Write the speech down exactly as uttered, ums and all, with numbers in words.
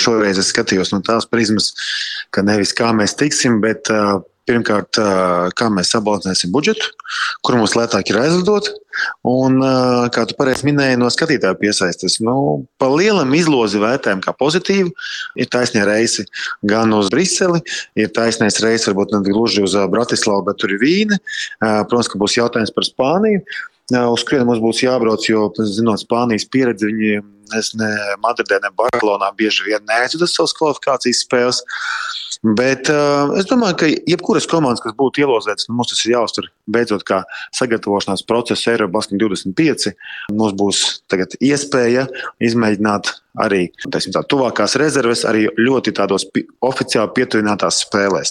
šoreiz es skatījos no tās prizmas, ka nevis kā mēs tiksim, bet uh, pirmkārt, uh, kā mēs sabalansēsim budžetu, kur mums lētāk ir aizlidot, un, uh, kā tu pareizi minēji, no skatītāju piesaistes. Nu, pa lielam izlozi vērtējumu kā pozitīvu, ir taisnie reisi gan uz Briseli, ir taisnais reisi varbūt ne gluži uz Bratislavu, bet tur ir Vīne. Uh, protams, ka būs jautājums par Spāniju, uh, uz kurien mums būs jābrauc, jo, zinot Spānijas pieredzi, viņi es ne Madridē, ne Barcelonā bieži vien neaizvada savas kvalifikācijas spēles. Bet uh, es domāju, ka jebkuras komandas, kas būtu ielozētas, nu, mums tas ir jāuztver beidzot kā sagatavošanās procesa Eirobasket divdesmit pieci. Mums būs tagad iespēja izmēģināt arī, teiksim tā, tuvākās rezerves, arī ļoti tādos pi- oficiāli pietuvinātās spēlēs.